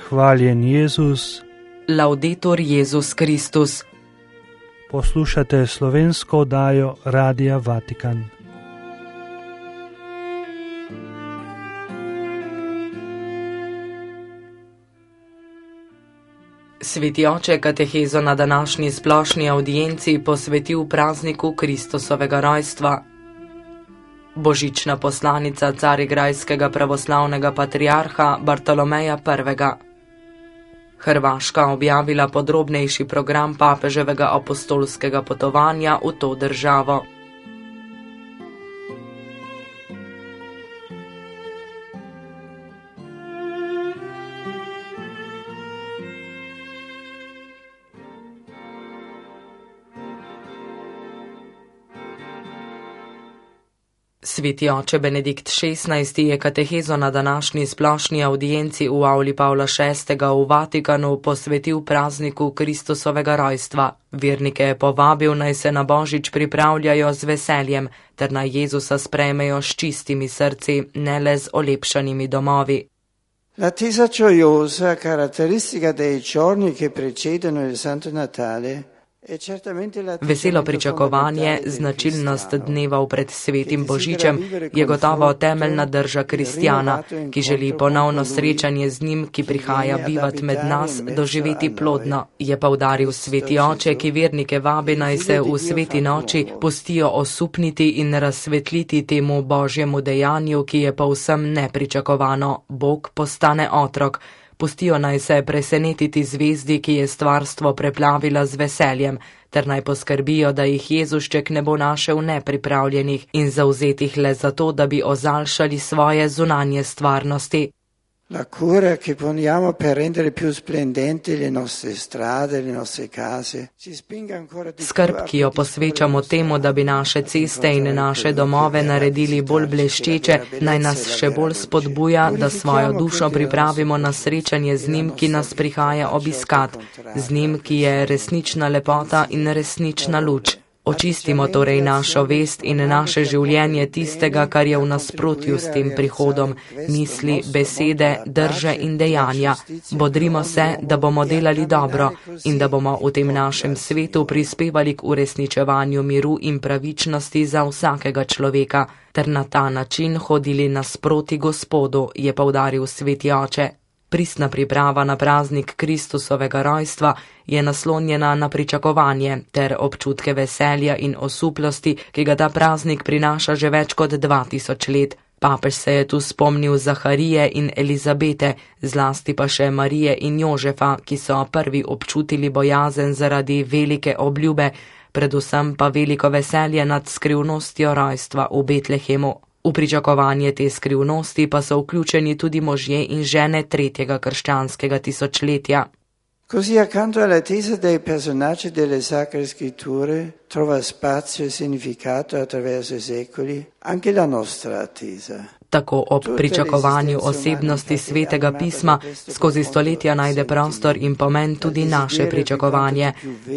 Hvaljen Jezus. Laudetur Jezus Kristus. Poslušate slovensko oddajo Radia Vatikan. Sveti oče katehezo na današnji splošni avdienci posvetil prazniku Kristusovega rojstva. Božična poslanica carigrajskega pravoslavnega patriarha Bartolomeja I. Hrvaška objavila podrobnejši program papeževega apostolskega potovanja v to državo. Sveti oče Benedikt XVI. Je katehezo na današnji splošni avdienci v avli Pavla VI. V Vatikanu posvetil prazniku Kristusovega rojstva. Vernike je povabil, naj se na Božič pripravljajo z veseljem, ter naj Jezusa sprejmejo s čistimi srci, ne le z olepšanimi domovi. L'attesa gioiosa, caratteristica dei giorni che precedono il Santo Natale, veselo pričakovanje, značilnost dneva pred svetim Božičem, je gotovo temeljna drža kristjana, ki želi ponovno srečanje z njim, ki prihaja bivat med nas, doživeti plodno, je poudaril sveti oče, ki vernike vabi, naj se v sveti noči pustijo osupniti in razsvetliti temu Božjemu dejanju, ki je povsem nepričakovano. Bog postane otrok. Pustijo naj se presenetiti zvezdi, ki je stvarstvo preplavila z veseljem, ter naj poskrbijo, da jih Jezušček ne bo našel nepripravljenih in zavzetih le zato, da bi ozaljšali svoje zunanje stvarnosti. La cura che poniamo per rendere più splendenti le nostre strade, le nostre case, ci spinga ancora di più. Skrb, ki jo posvečamo temu, da bi naše ceste in naše domove naredili bolj bleščeče, naj nas še bolj spodbuja, da svojo dušo pripravimo na srečanje z njim, ki nas prihaja obiskat, z njim, ki je resnična lepota in resnična luč. Očistimo torej našo vest in naše življenje tistega, kar je v nasprotju s tem prihodom, misli, besede, drže in dejanja. Bodrimo se, da bomo delali dobro in da bomo v tem našem svetu prispevali k uresničevanju miru in pravičnosti za vsakega človeka, ter na ta način hodili nasproti Gospodu, je poudaril sveti oče. Pristna priprava na praznik Kristusovega rojstva je naslonjena na pričakovanje ter občutke veselja in osuplosti, ki ga ta praznik prinaša že več kot 2000 let. Papež se je tu spomnil Zaharije in Elizabete, zlasti pa še Marije in Jožefa, ki so prvi občutili bojazen zaradi velike obljube, predvsem pa veliko veselje nad skrivnostjo rojstva v Betlehemu. V pričakovanje te skrivnosti pa so vključeni tudi možje in žene tretjega krščanskega tisočletja. Così accanto all'attesa dei personaggi delle Sacre Scritture trova spazio e significato attraverso i secoli anche la nostra attesa. Tako ob pričakovanju osebnosti svetega pisma skozi stoletja najde prostor in pomen tudi naše pričakovanje.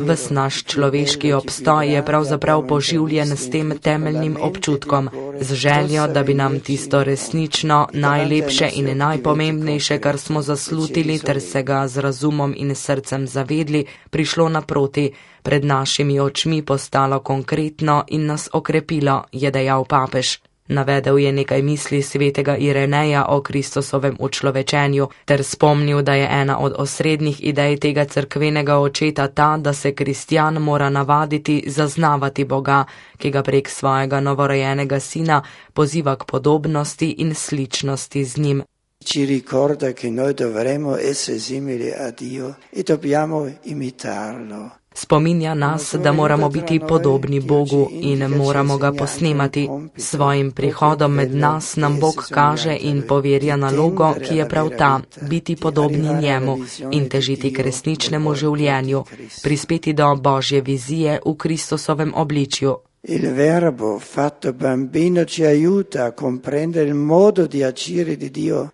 Ves naš človeški obstoj je pravzaprav poživljen s tem temeljnim občutkom, z željo, da bi nam tisto resnično, najlepše in najpomembnejše, kar smo zaslutili ter se ga z razumom in srcem zavedli, prišlo naproti, pred našimi očmi postalo konkretno in nas okrepilo, je dejal papež. Navedel je nekaj misli svetega Ireneja o Kristusovem učlovečenju ter spomnil, da je ena od osrednjih idej tega cerkvenega očeta ta, da se kristjan mora navaditi zaznavati Boga, ki ga prek svojega novorojenega sina poziva k podobnosti in sličnosti z njim. Ci ricorda che noi dovremo essere simili a Dio e dobbiamo imitarlo. Spominja nas, da moramo biti podobni Bogu in moramo ga posnemati. Svojim prihodom med nas nam Bog kaže in poverja nalogo, ki je prav ta, biti podobni njemu in težiti k resničnemu življenju, prispeti do Božje vizije v Kristusovem obličju. Il verbo fatto bambino ci aiuta a comprendere il modo di agire di Dio.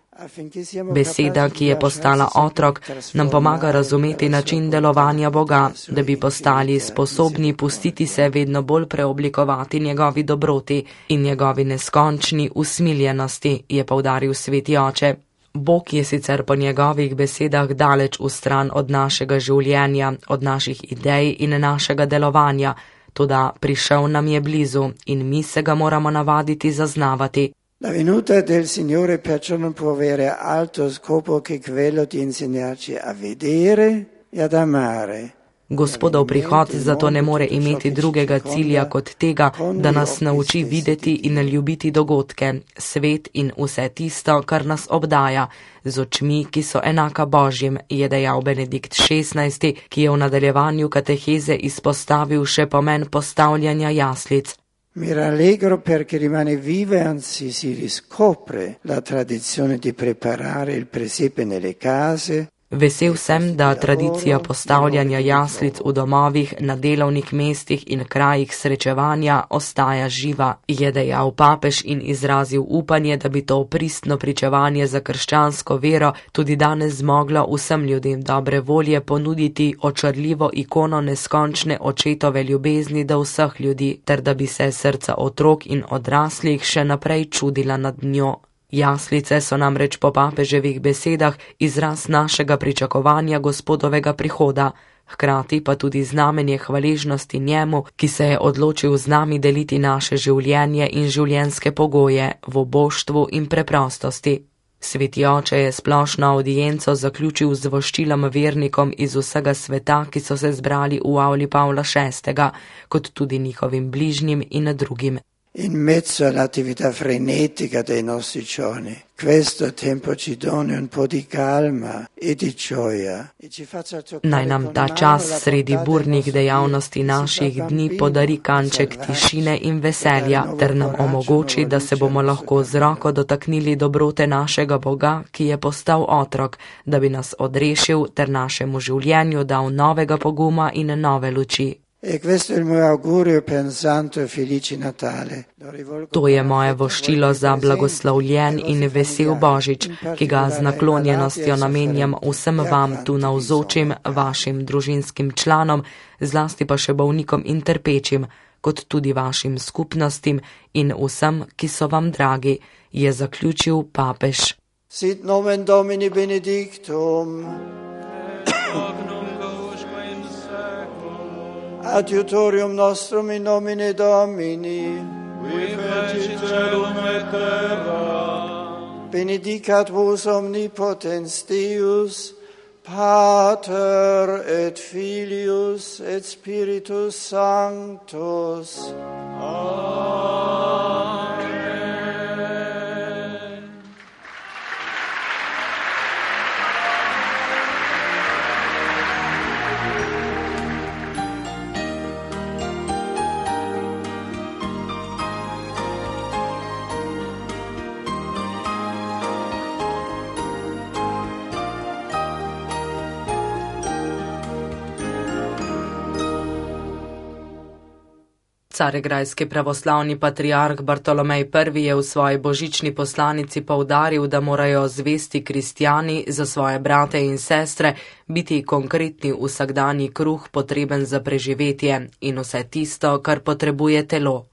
Beseda, ki je postala otrok, nam pomaga razumeti način delovanja Boga, da bi postali sposobni pustiti se vedno bolj preoblikovati njegovi dobroti in njegovi neskončni usmiljenosti, je poudaril sveti oče. Bog je sicer po njegovih besedah daleč stran od našega življenja, od naših idej in našega delovanja, toda prišel nam je blizu in mi se ga moramo navaditi zaznavati. La venuta del Signore perciò non può avere altro scopo che quello di insegnarci a vedere e ad amare. Gospodov prihod zato ne more imeti drugega cilja kot tega, da nas nauči videti in ljubiti dogodke, svet in vse tisto, kar nas obdaja, z očmi, ki so enaka Božjim, je dejal Benedikt XVI, ki je v nadaljevanju kateheze izpostavil še pomen postavljanja jaslic. Mi rallegro perché rimane viva e anzi si riscopre la tradizione di preparare il presepe nelle case. Vesel sem, da tradicija postavljanja jaslic v domovih, na delovnih mestih in krajih srečevanja ostaja živa, je dejal papež in izrazil upanje, da bi to pristno pričevanje za krščansko vero tudi danes zmoglo vsem ljudem dobre volje ponuditi očarljivo ikono neskončne očetove ljubezni do vseh ljudi, ter da bi se srca otrok in odraslih še naprej čudila nad njo. Jaslice so namreč po papeževih besedah izraz našega pričakovanja Gospodovega prihoda, hkrati pa tudi znamenje hvaležnosti njemu, ki se je odločil z nami deliti naše življenje in življenjske pogoje v oboštvu in preprostosti. Sveti oče je splošno audienco zaključil z voščilom vernikom iz vsega sveta, ki so se zbrali v avli Pavla VI, kot tudi njihovim bližnjim in drugim. In mezzo all'attività frenetica dei nostri giorni, questo tempo ci doni un po' di calma e di gioia. Naj nam ta čas sredi burnih dejavnosti naših dni podari kanček tišine in veselja, ter nam omogoči, da se bomo lahko z roko dotaknili dobrote našega Boga, ki je postal otrok, da bi nas odrešil ter našemu življenju dal novega poguma in nove luči. To je moje voščilo za blagoslovljen in vesel Božič, ki ga z naklonjenostjo namenjam vsem vam tu navzočim, vašim družinskim članom, zlasti pa še bolnikom in trpečim, kot tudi vašim skupnostim in vsem, ki so vam dragi, je zaključil papež. Sit nomen Domini benedictum. Adiutorium nostrum in nomine Domini, qui fecit celum et terra. Benedicat vos omnipotens Deus, Pater et Filius et Spiritus Sanctus. Amen. Carigrajski pravoslavni patriarh Bartolomej I je v svoji božični poslanici poudaril, da morajo zvesti kristjani za svoje brate in sestre biti konkretni vsakdanji kruh potreben za preživetje in vse tisto, kar potrebuje telo.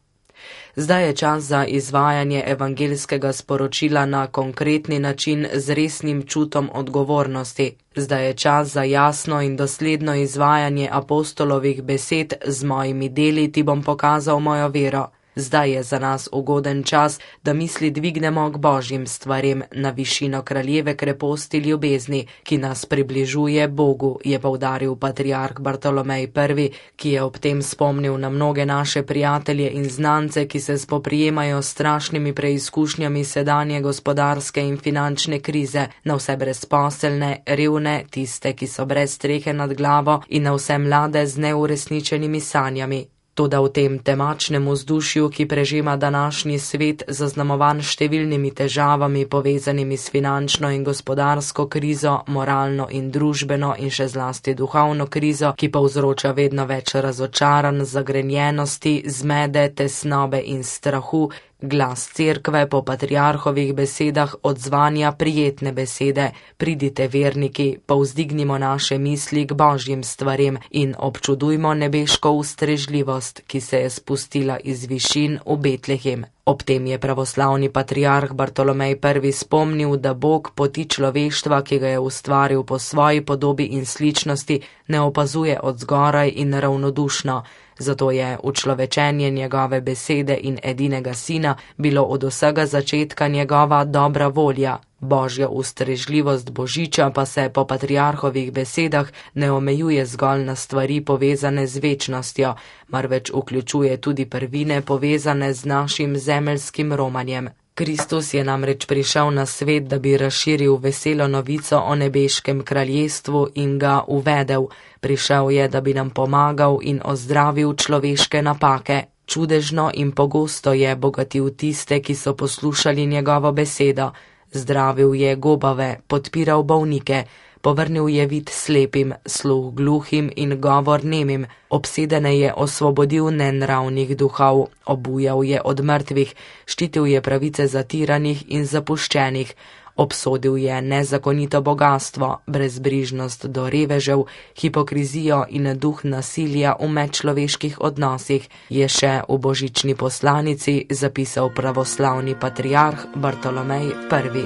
Zdaj je čas za izvajanje evangeljskega sporočila na konkretni način z resnim čutom odgovornosti. Zdaj je čas za jasno in dosledno izvajanje apostolovih besed: z mojimi deli ti bom pokazal mojo vero. Zdaj je za nas ugoden čas, da misli dvignemo k Božjim stvarem na višino kraljeve kreposti ljubezni, ki nas približuje Bogu, je poudaril patriarh Bartolomej I, ki je ob tem spomnil na mnoge naše prijatelje in znance, ki se spoprijemajo s strašnimi preizkušnjami sedanje gospodarske in finančne krize, na vse brezposelne, revne, tiste, ki so brez strehe nad glavo, in na vse mlade z neuresničenimi sanjami. Toda v tem temačnem vzdušju, ki prežema današnji svet, zaznamovan številnimi težavami povezanimi s finančno in gospodarsko krizo, moralno in družbeno in še zlasti duhovno krizo, ki povzroča vedno več razočaranj, zagrenjenosti, zmede, tesnobe in strahu, Glas cerkve po patriarhovih besedah odzvanja prijetne besede: pridite verniki, povzdignimo naše misli k božjim stvarem in občudujmo nebeško ustrežljivost, ki se je spustila iz višin v Betlehem. Ob tem je pravoslavni patriarh Bartolomej I. spomnil, da Bog poti človeštva, ki ga je ustvaril po svoji podobi in sličnosti, ne opazuje od zgoraj in ravnodušno, zato je učlovečenje njegove besede in edinega sina bilo od vsega začetka njegova dobra volja. Božja ustrežljivost božiča pa se po patriarhovih besedah ne omejuje zgolj na stvari povezane z večnostjo, marveč vključuje tudi prvine povezane z našim zemeljskim romanjem. Kristus je namreč prišel na svet, da bi razširil veselo novico o nebeškem kraljestvu in ga uvedel. Prišel je, da bi nam pomagal in ozdravil človeške napake. Čudežno in pogosto je bogatil tiste, ki so poslušali njegovo besedo. Zdravil je gobave, podpiral bolnike, povrnil je vid slepim, sluh gluhim in govor nemim, obsedene je osvobodil nenravnih duhov, obujal je od mrtvih, ščitil je pravice zatiranih in zapuščenih, obsodil je nezakonito bogastvo, brezbrižnost do revežev, hipokrizijo in duh nasilja v medčloveških odnosih, je še v božični poslanici zapisal pravoslavni patriarh Bartolomej I.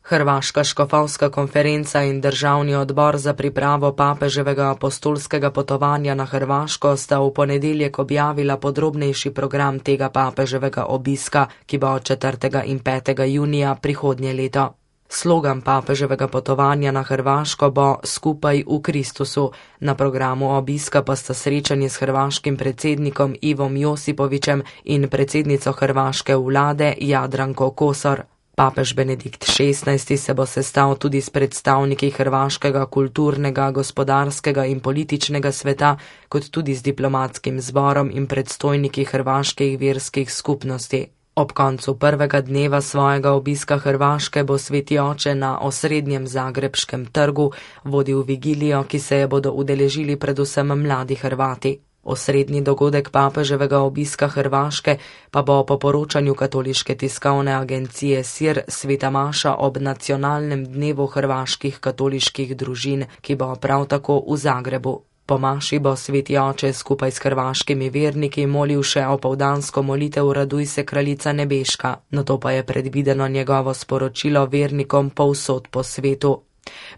Hrvaška škofovska konferenca in državni odbor za pripravo papeževega apostolskega potovanja na Hrvaško sta v ponedeljek objavila podrobnejši program tega papeževega obiska, ki bo 4. in 5. junija prihodnje leto. Slogan papeževega potovanja na Hrvaško bo Skupaj v Kristusu. Na programu obiska pa sta srečanje s hrvaškim predsednikom Ivom Josipovićem in predsednico hrvaške vlade Jadranko Kosor. Papež Benedikt XVI se bo sestal tudi s predstavniki hrvaškega kulturnega, gospodarskega in političnega sveta, kot tudi z diplomatskim zborom in predstojniki hrvaških verskih skupnosti. Ob koncu prvega dneva svojega obiska Hrvaške bo Sveti oče na osrednjem zagrebškem trgu vodil vigilijo, ki se je bodo udeležili predvsem mladi Hrvati. Osrednji dogodek papeževega obiska Hrvaške pa bo po poročanju katoliške tiskovne agencije SIR sveta maša ob nacionalnem dnevu hrvaških katoliških družin, ki bo prav tako v Zagrebu. Po maši bo Sveti oče skupaj s hrvaškimi verniki molil še opoldansko molitev Raduj se kraljica nebeška, nato pa je predvideno njegovo sporočilo vernikom povsod po svetu.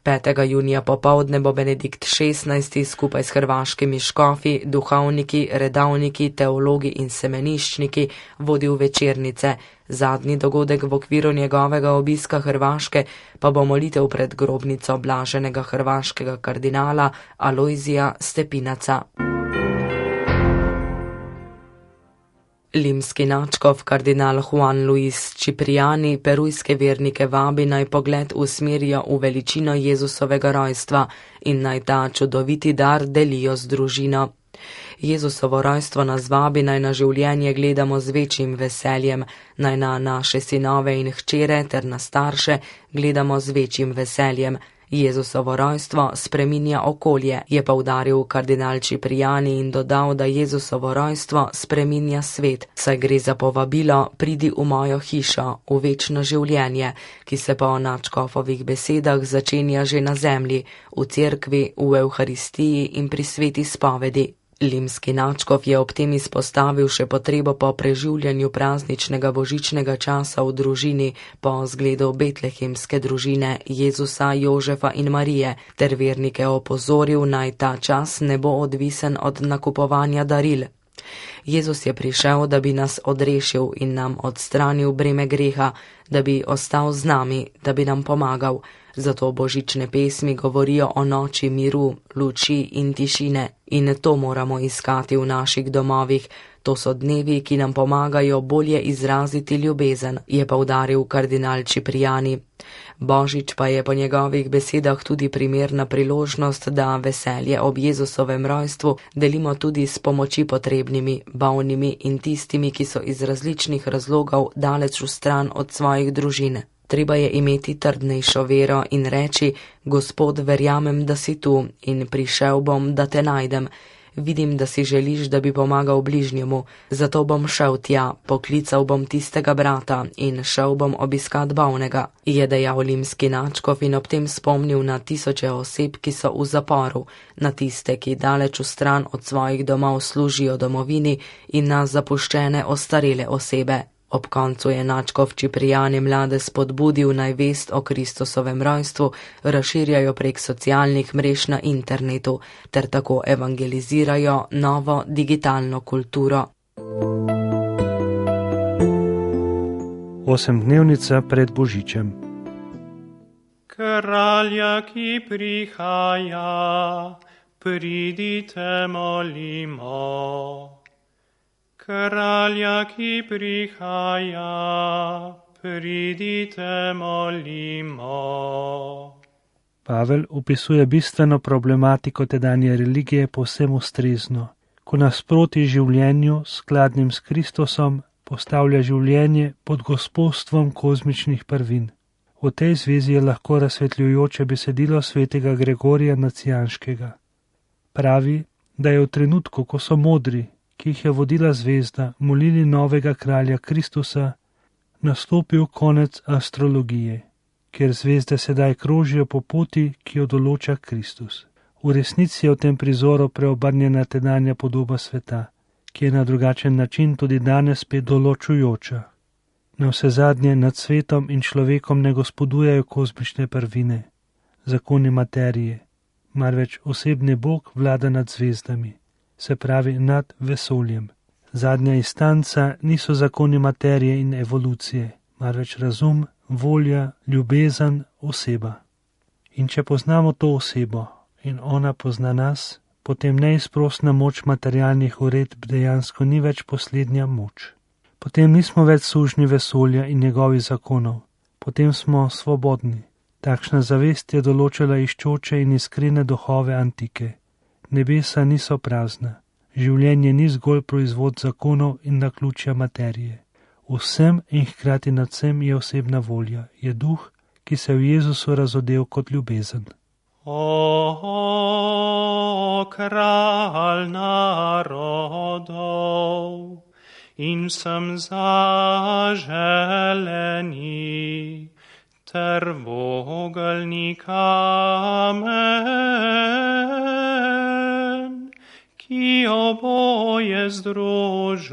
5. junija popoldne bo Benedikt XVI skupaj s hrvaškimi škofi, duhovniki, redavniki, teologi in semeniščniki vodil večernice. Zadnji dogodek v okviru njegovega obiska Hrvaške pa bo molitev pred grobnico blaženega hrvaškega kardinala Alojzija Stepinaca. Limski nadškof kardinal Juan Luis Cipriani perujske vernike vabi naj pogled usmerijo v veličino Jezusovega rojstva in naj ta čudoviti dar delijo z družino. Jezusovo rojstvo nas vabi naj na življenje gledamo z večjim veseljem, naj na naše sinove in hčere ter na starše gledamo z večjim veseljem. Jezusovo rojstvo spreminja okolje, je poudaril kardinal Cipriani in dodal, da Jezusovo rojstvo spreminja svet, saj gre za povabilo pridi v mojo hišo, v večno življenje, ki se po nadškofovih besedah začenja že na zemlji, v cerkvi, v Evharistiji in pri sveti spovedi. Limski nadškof je ob tem izpostavil še potrebo po preživljanju prazničnega božičnega časa v družini po zgledu betlehemske družine Jezusa, Jožefa in Marije, ter vernike opozoril, naj ta čas ne bo odvisen od nakupovanja daril. Jezus je prišel, da bi nas odrešil in nam odstranil breme greha, da bi ostal z nami, da bi nam pomagal. Zato božične pesmi govorijo o noči miru, luči in tišine. In to moramo iskati v naših domovih. To so dnevi, ki nam pomagajo bolje izraziti ljubezen, je poudaril kardinal Cipriani. Božič pa je po njegovih besedah tudi primerna priložnost, da veselje ob Jezusovem rojstvu delimo tudi s pomoči potrebnimi, bolnimi in tistimi, ki so iz različnih razlogov daleč v stran od svojih družin. Treba je imeti trdnejšo vero in reči: Gospod, verjamem, da si tu in prišel bom, da te najdem. Vidim, da si želiš, da bi pomagal bližnjemu, zato bom šel tja, poklical bom tistega brata in šel bom obiskat bolnega, je dejal limski nadškof in ob tem spomnil na tisoče oseb, ki so v zaporu, na tiste, ki daleč vstran od svojih domov služijo domovini, in na zapuščene ostarele osebe. Ob koncu je nadškof Čiprijane mlade spodbudil, naj vest o Kristusovem rojstvu razširjajo prek socialnih mrež na internetu ter tako evangelizirajo novo digitalno kulturo. Osemdnevnica pred Božičem. Kralja, ki prihaja, pridite molimo. Kralja, ki prihaja, pridite molimo. Pavel opisuje bistveno problematiko tedanje religije povsem ustrezno, ko nasproti življenju skladnim s Kristusom postavlja življenje pod gospodstvom kozmičnih prvin. V tej zvezi je lahko razsvetljujoče besedilo svetega Gregorija Nacijanskega. Pravi, da je v trenutku, ko so modri, ki jih je vodila zvezda, molili novega kralja Kristusa, nastopil konec astrologije, kjer zvezde sedaj krožijo po poti, ki jo določa Kristus. V resnici je v tem prizoru preobrnjena tedanja podoba sveta, ki je na drugačen način tudi danes spet določujoča. Navsezadnje nad svetom in človekom ne gospodujejo kozmične prvine, zakoni materije, marveč osebni Bog vlada nad zvezdami, se pravi nad vesoljem. Zadnja instanca niso zakoni materije in evolucije, marveč razum, volja, ljubezen, oseba. In če poznamo to osebo in ona pozna nas, potem neizprosna moč materialnih uredb dejansko ni več poslednja moč. Potem nismo več sužnji vesolja in njegovih zakonov, potem smo svobodni. Takšna zavest je določila iščoče in iskrene duhove antike. Nebesa niso prazna, življenje ni zgolj proizvod zakonov in naključja materije. Vsem in hkrati nad vsem je osebna volja, je duh, ki se v Jezusu razodel kot ljubezen. O, kralj narodov, in sem zaželeni, ter vogelni kamen, ki oboje združuješ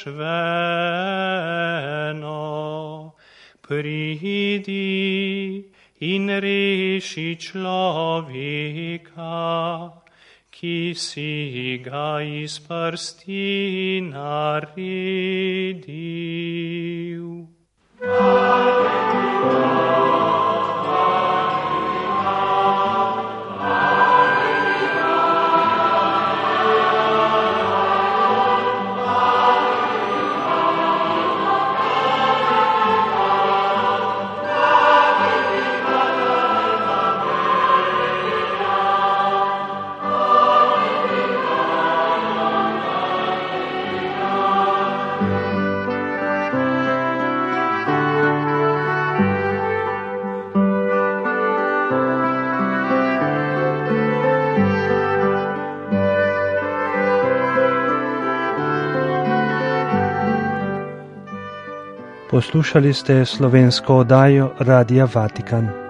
v eno. Pridi in reši človeka, ki si ga iz prsti naredil. Poslušali ste slovensko oddajo Radia Vatikan.